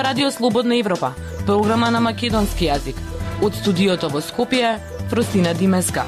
ова Радио Слободна Европа, програма на македонски јазик. Од студиото во Скопје, Фростина Димеска.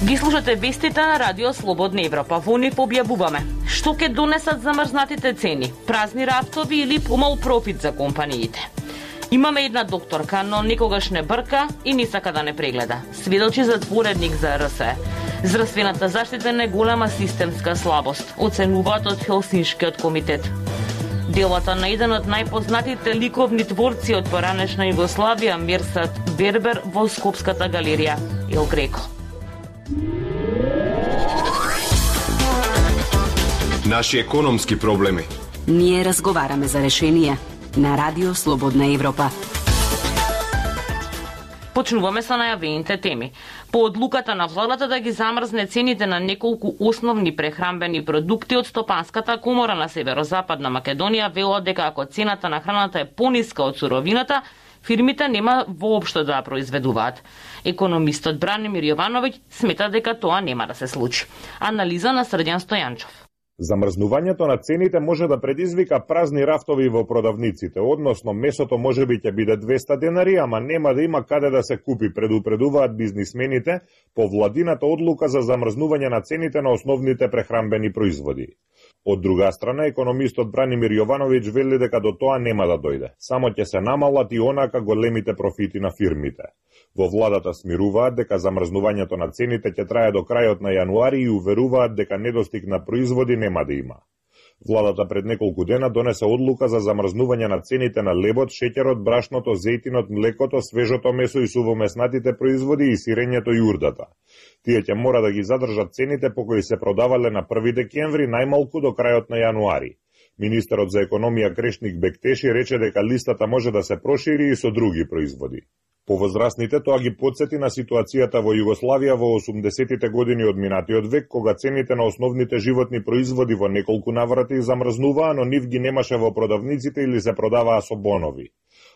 Ги слушате вестите на Радио Слободна Европа. Во нив објавуваме што ќе донесат замрзнатите цени, празни рафтови или помал профит за компаниите. Имаме една докторка, но никогаш не брка и не сака да не прегледа. Сведочи затворедник за РСЕ. Здравствената заштита е голема системска слабост, оценуваат од Хелсиншкиот комитет. Делата на еден од најпознатите ликовни творци од поранешна Југославија, Мирсат Вербер, во Скопската галерија Ел Греко. Наши економски проблеми. Ние разговараме за решение на Радио Слободна Европа. Почнуваме со најавените теми. По одлуката на владата да ги замрзне цените на неколку основни прехранбени продукти од Стопанската комора на Северозападна Македонија велат дека ако цената на храната е пониска од суровината, фирмите нема воопшто да ја произведуваат. Економистот Бранимир Јовановиќ смета дека тоа нема да се случи. Анализа на Срдјан Стојанчов. Замрзнувањето на цените може да предизвика празни рафтови во продавниците, односно месото можеби ќе биде 200 денари, ама нема да има каде да се купи, предупредуваат бизнисмените по владината одлука за замрзнување на цените на основните прехранбени производи. Од друга страна, економистот Бранимир Јовановиќ вели дека до тоа нема да дојде. Само ќе се намалат и онака големите профити на фирмите. Во владата смируваат дека замрзнувањето на цените ќе трае до крајот на јануари и уверуваат дека недостиг на производи нема да има. Владата пред неколку дена донесе одлука за замрзнување на цените на лебот, шеќерот, брашното, зејтинот, млекото, свежото месо и сувомеснатите производи и сирењето и урдата. Тие ќе мора да ги задржат цените по кои се продавале на 1 декември најмалку до крајот на јануари. Министерот за економија Крешник Бектеши рече дека листата може да се прошири и со други производи. Повозрастните тоа ги потсети на ситуацијата во Југославија во 80-тите години од минатиот век, кога цените на основните животни производи во неколку наврати замрзнуваа, но нив ги немаше во продавниците или се продаваа со бонови.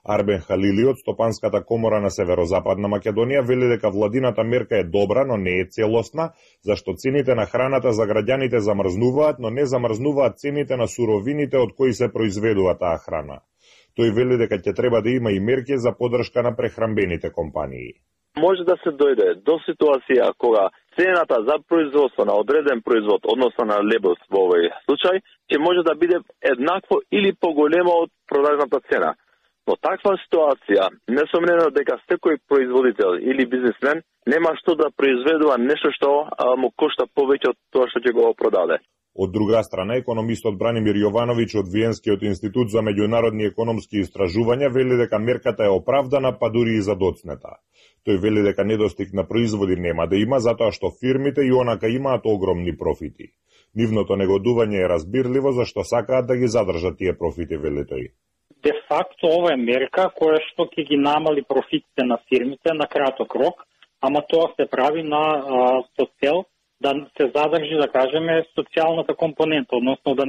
Арбен Халили од Стопанската комора на Северозападна Македонија вели дека владината мерка е добра, но не е целосна, зашто цените на храната за граѓаните замрзнуваат, но не замрзнуваат цените на суровините од кои се произведува таа храна. Тој вели дека ќе треба да има и мерки за поддршка на прехранбените компании. Може да се дојде до ситуација кога цената за производство на одреден производ, односно на лебот во овој случај, ќе може да биде еднакво или поголемо од продажната цена. Во таква ситуација, несомнено дека секој производител или бизнисмен нема што да произведува нешто што му кошта повеќе од тоа што ќе го продаде. Од друга страна, економистот Бранимир Јовановиќ од Виенскиот институт за меѓународни економски истражувања вели дека мерката е оправдана, па дури и задоцнета. Тој вели дека недостиг на производи нема да има, затоа што фирмите и онака имаат огромни профити. Нивното негодување е разбирливо, зашто сакаат да ги задржат тие профити, вели тој. Де факто ова е мерка која што ќе ги намали профитите на фирмите на краток рок, ама тоа се прави со цел да се задржи, да кажеме, социјалната компонента, односно да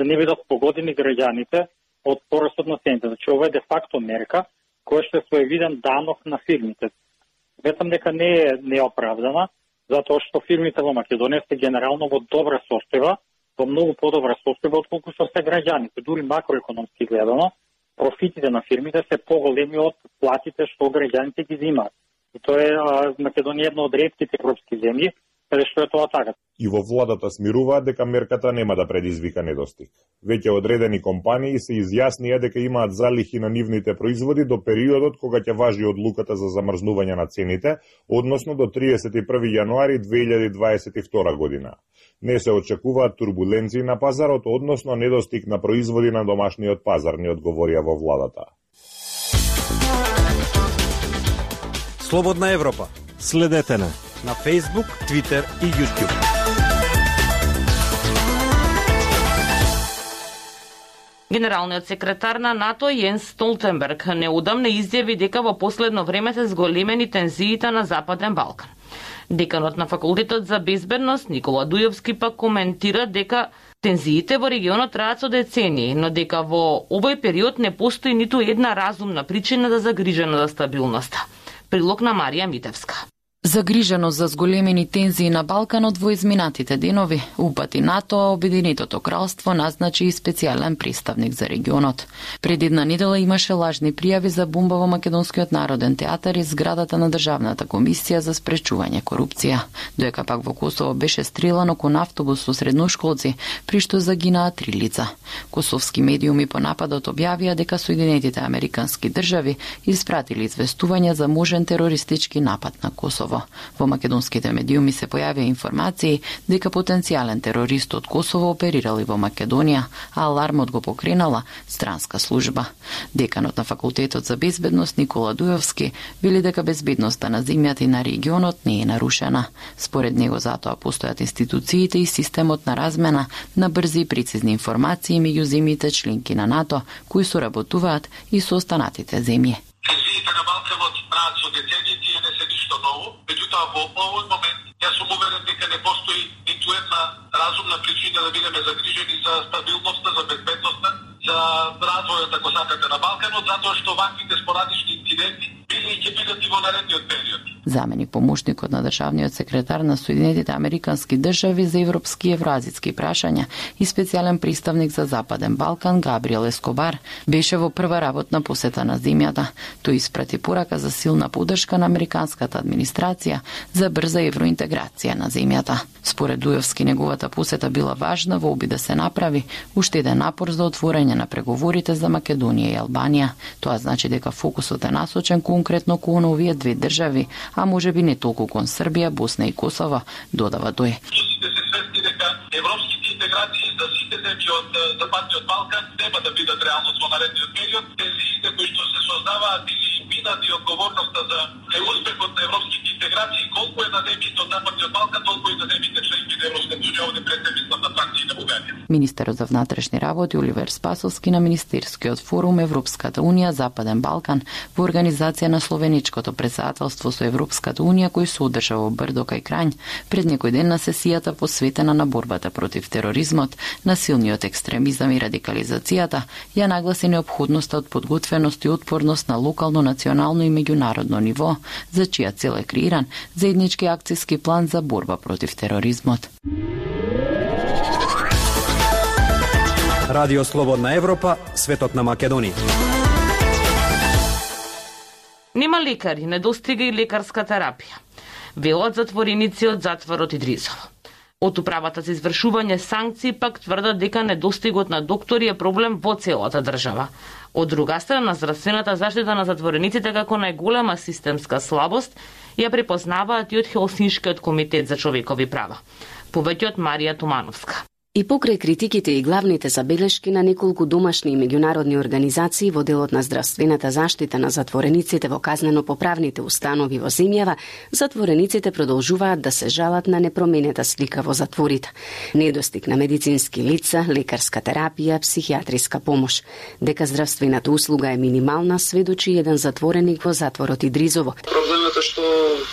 не бидат погодени граѓаните од порастот на цените. Значи, ова е де факто мерка која што е своевиден данок на фирмите. Ветам дека не е оправдана, затоа што фирмите во Македонија се генерално во добра состојба, во многу подобра состојба отколку што се граѓаните. Дури макроекономски гледано, профитите на фирмите се поголеми од платите што граѓаните ги земаат. И тоа е Македонија една од ретките европски земји што е тоа така. И во владата смируваат дека мерката нема да предизвика недостиг. Веќе одредени компании се изјаснија дека имаат залихи на нивните производи до периодот кога ќе важи одлуката за замрзнување на цените, односно до 31 јануари 2022 година. Не се очекуваат турбуленции на пазарот, односно недостиг на производи на домашниот пазар, не одговорија во владата. Слободна Европа. Следете на Facebook, Twitter и YouTube. Генералниот секретар на НАТО Јенс Столтенберг неудамно изјави дека во последно време се зголемени тензиите на Западен Балкан. Деканот на Факултетот за безбедност Никола Дујовски пак коментира дека тензиите во регионот траат со децении, но дека во овој период не постои ниту една разумна причина да загрижена за стабилноста. Прилог на Марија Митевска. Загриженост за зголемени тензии на Балканот во изминатите денови, упати НАТО, Обединетото кралство назначи и специјален представник за регионот. Пред една недела имаше лажни пријави за бомба во Македонскиот народен театар и зградата на Државната комисија за спречување корупција. Доека пак во Косово беше стрелано кон автобус со средношколци, при што загинаа 3 лица. Косовски медиуми по нападот објавија дека Соединетите американски држави испратили известување за можен терористички напад на Косово. Во македонските медиуми се појавија информации дека потенцијален терорист од Косово оперирал и во Македонија, а алармот го покренала странска служба. Деканот на Факултетот за безбедност Никола Дујовски вели дека безбедноста на земјата и на регионот не е нарушена. Според него затоа постојат институциите и системот на размена на брзи и прецизни информации меѓу земјите членки на НАТО, кои соработуваат и со останатите земји. На Балканот прават со деценији и не се ништо ново, меѓутоа во овој момент јас сум уверен дека не постои ниту една разумна причина да бидеме загрижени за стабилноста, за безбедноста, за развојот, ако сакате, на Балканот, затоа што ваквите спорадични инциденти били и ќе бидат и во наредниот период. Заменик помошникот на државниот секретар на Соединетите американски држави за европски и евроазиски прашања и специјален представник за Западен Балкан Габриел Ескобар беше во прва работна посета на земјата. Тој испрати порака за силна поддршка на американската администрација за брза евроинтеграција на земјата. Според Дујовски, неговата посета била важна во обид да се направи уште еден напор за отворање на преговорите за Македонија и Албанија. Тоа значи дека фокусот е насочен конкретно кон овие две држави, а може би не толку кон Србија, Босна и Косово, додава тој. Сите се свесни дека европските интеграции за сите земји од Западниот Балкан нема да бидат реалност во наредниот период. Тези кои што се создаваат или минат и одговорноста за успехот на европските интеграции, колку е на земјите од Западниот Балкан, толку и на земјите членки на Европската унија, овде пред мислам на Франција и на Бугарија. Министерот за внатрешни работи Оливер Спасовски на Министерскиот форум Европската унија Западен Балкан во организација на словеничкото претседателство со Европската унија кој се одржа во Брдо кај Крањ пред некој ден на сесијата посветена на борбата против тероризмот, насилниот екстремизам и радикализацијата, ја нагласи неопходноста од подготвеност и отпорност на локално, национално и меѓународно ниво, за чија цел е креиран заеднички акцијски план за борба против тероризмот. Радио Слободна Европа, светот на Македонија. Нема лекари, недостига и лекарска терапија. Велат затвореници од затворот Идризово. Од управата за извршување санкции пак тврдат дека недостигот на доктори е проблем во целата држава. Од друга страна, здравствената заштита на затворениците како најголема системска слабост ја препознаваат и од Хелсиншкиот комитет за човекови права. Повеќе од Марија Тумановска. И покрај критиките и главните забелешки на неколку домашни и меѓународни организации во делот на здравствената заштита на затворениците во казнено-поправните установи во земјава, затворениците продолжуваат да се жалат на непроменета слика во затворите. Недостиг на медицински лица, лекарска терапија, психијатриска помош. Дека здравствената услуга е минимална, сведочи еден затвореник во затворот Идризово. Проблемот е што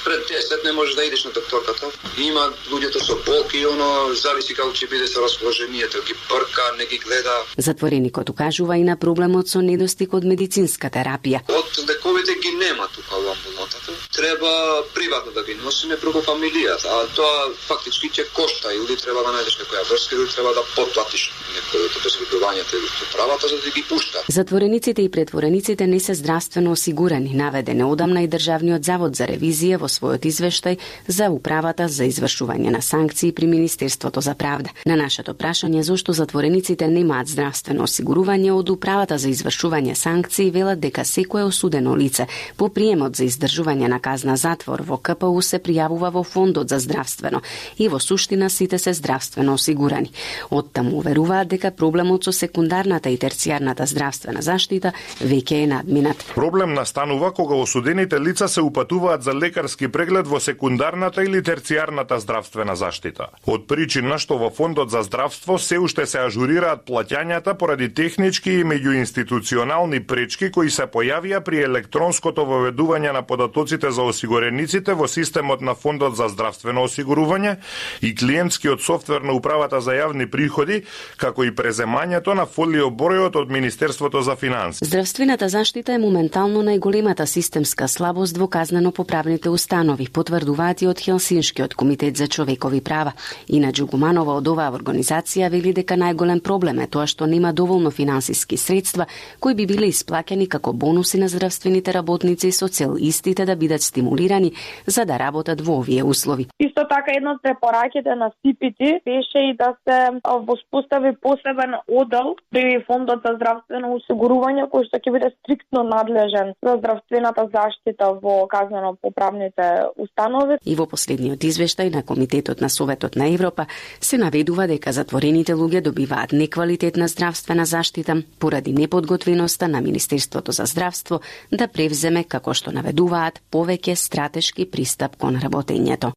пред 10 не можеш да идеш на докторката. Има луѓето со болки и оно зависи како ќе биде со расположението, ги прка, не ги гледа. Затвореникот укажува и на проблемот со недостиг од медицинска терапија. Од лековите ги нема тука во амбулантата. Треба приватно да ги носиме преку фамилијата, а тоа фактички ќе кошта, или треба да најдеш некоја врска, или треба да потплатиш некојото посредувањето или правата за да ги пушта. Затворениците и претворениците не се здравствено осигурани, наведен одамна и Државниот завод за ревизија во својот извештај за управата за извршување на санкции при Министерството за правда. На нашето прашање зошто затворениците немаат здравствено осигурување, од управата за извршување санкции велат дека секое осудено лице по приемот за издржување на казна затвор во КПУ се пријавува во фондот за здравствено и во суштина сите се здравствено осигурани. Оттаму уверуваат дека проблемот со секундарната и терцијарната здравствена заштита веќе е надминат. Проблем настанува кога осудените лица се упатуваат за лекарски преглед во секундарната или терцијарната здравствена заштита. Од причина што во фондот за здравство се уште се ажурираат плаќањата поради технички и меѓуинституционални пречки кои се појавија при електронското воведување на податоците за осигурениците во системот на Фондот за здравствено осигурување и клиентскиот софтвер на Управата за јавни приходи, како и преземањето на фолиобројот од Министерството за финансии. Здравствената заштита е моментално најголемата системска слабост во казнено-поправните установи, потврдуваат и од Хелсиншкиот комитет за човекови права. Ина Джугуманова од оваа организација вели дека најголем проблем е тоа што нема доволно финансиски средства кои би биле исплаќани како бонуси на здравствените работници со цел истите да бидат стимулирани за да работат во овие услови. Исто така една од препораките на СПТ беше и да се воспостави посебен одел при Фондот за здравствено осигурување кој што ќе биде стриктно надлежен за здравствената заштита во казнено-поправните установи. И во последниот извештај на Комитетот на Советот на Европа се наведува дека затворените луѓе добиваат неквалитетна здравствена заштита поради неподготвеноста на Министерството за здравство да превземе, како што наведуваат, повеќе стратешки пристап кон работењето.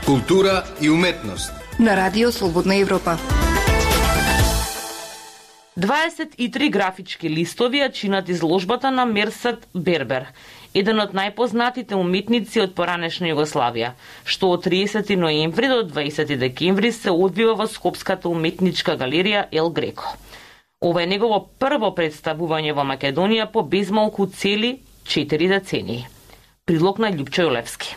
Култура и уметност на Радио Слободна Европа. 23 графички листови ја чинат изложбата на Мерсат Бербер, еден од најпознатите уметници од поранешна Југославија, што од 30 ноември до 20 декември се одвива во Скопската уметничка галерија Ел Греко. Ова е негово прво представување во Македонија по безмалку цели 4 децении. Прилог на Љупчо Јолевски.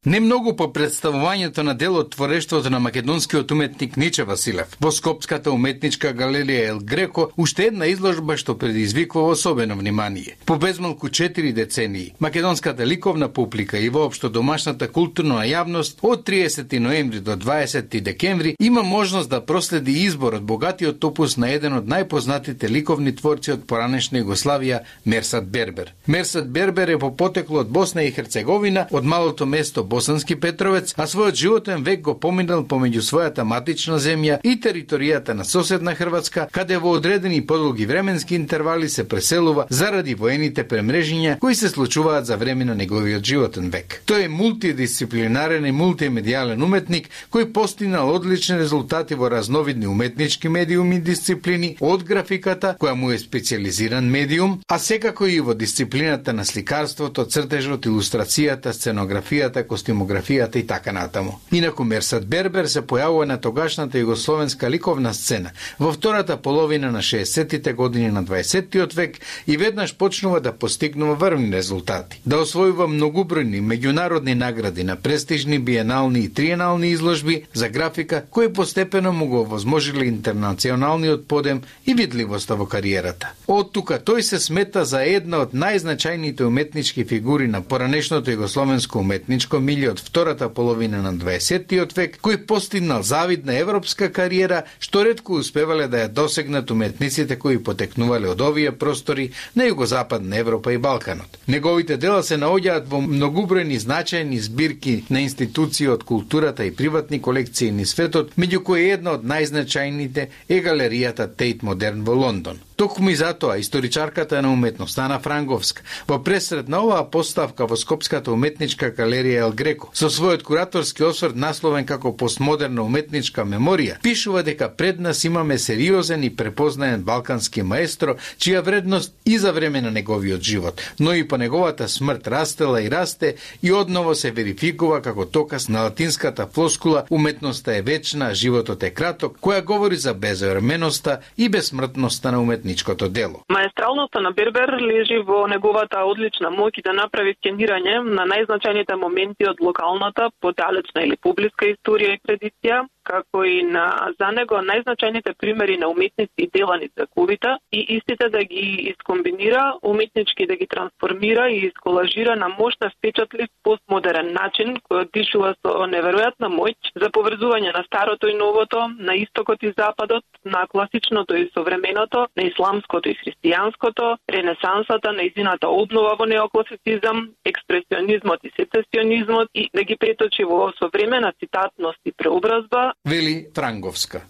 Не многу по представувањето на дел од творештвото на македонскиот уметник Ниче Василев. Во Скопската уметничка галерија Ел Греко уште една изложба што предизвикува особено внимание. По безмалку 4 децении, македонската ликовна публика и воопшто домашната културна јавност од 30 ноември до 20 декември има можност да проследи избор од богатиот опус на еден од најпознатите ликовни творци од поранешна Југославија, Мерсат Бербер. Мерсат Бербер е по потекло од Босна и Херцеговина, од малото место Босански Петровец, а својот животен век го поминал помеѓу својата матична земја и територијата на соседна Хрватска, каде во одредени подолги временски интервали се преселува заради воените премрежиња кои се случуваат за време на неговиот животен век. Тој е мултидисциплинарен и мултимедијален уметник кој постигнал одлични резултати во разновидни уметнички медиуми и дисциплини, од графиката, која му е специализиран медиум, а секако и во дисциплината на сликарството, цртежот, илустрацијата, сценографијата, костимографијата и така натаму. Инаку Мерсат Бербер се појавува на тогашната југословенска ликовна сцена во втората половина на 60-тите години на 20-тиот век и веднаш почнува да постигнува врвни резултати. Да освојува многубројни меѓународни награди на престижни биенални и триенални изложби за графика кои постепено му го овозможили интернационалниот подем и видливоста во кариерата. Од тука тој се смета за една од најзначајните уметнички фигури на поранешното југословенско уметничко милје од втората половина на 20-тиот век, кој постигнал завидна европска кариера, што ретко успевале да ја досегнат уметниците кои потекнувале од овие простори на југозападна Европа и Балканот. Неговите дела се наоѓаат во многубројни значајни збирки на институции од културата и приватни колекции низ светот, меѓу кои една од најзначајните е галеријата Тейт Модерн во Лондон. Токму и затоа историчарката на уметноста Ана Франговска во пресред на оваа поставка во Скопската уметничка галерија Ел Греко со својот кураторски осврт насловен како постмодерна уметничка меморија пишува дека пред нас имаме сериозен и препознаен балкански маестро чија вредност и за време на неговиот живот, но и по неговата смрт растела и расте и одново се верификува како доказ на латинската флоскула уметноста е вечна, животот е краток, која говори за безвременоста и безсмртноста на уметничкото дело. Маестралноста на Бербер лежи во неговата одлична моќ да направи скенирање на најзначајните моменти од локалната, подалечна или публиска историја и традиција, како и на за него најзначајните примери на уметници и дела низ вековите и истите да ги искомбинира, уметнички да ги трансформира и исколажира на мощна впечатлив постмодерен начин кој дишува со неверојатна моќ за поврзување на старото и новото, на истокот и западот, на класичното и современото, на исламското и христијанското, ренесансата, нејзината обнова во неокласицизам, експресионизмот и сецесионизмот и да ги преточи во современа цитатност и преобразба, вели Франговска.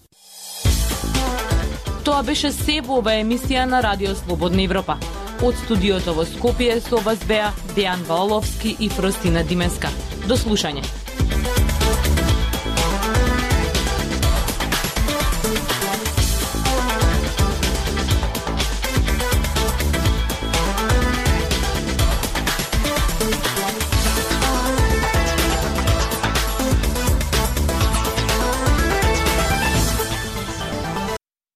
Тоа беше се во оваа емисија на Радио Слободна Европа. Од студиото во Скопје со вас беа Дејан Ваоловски и Фростина Дименска. До слушање.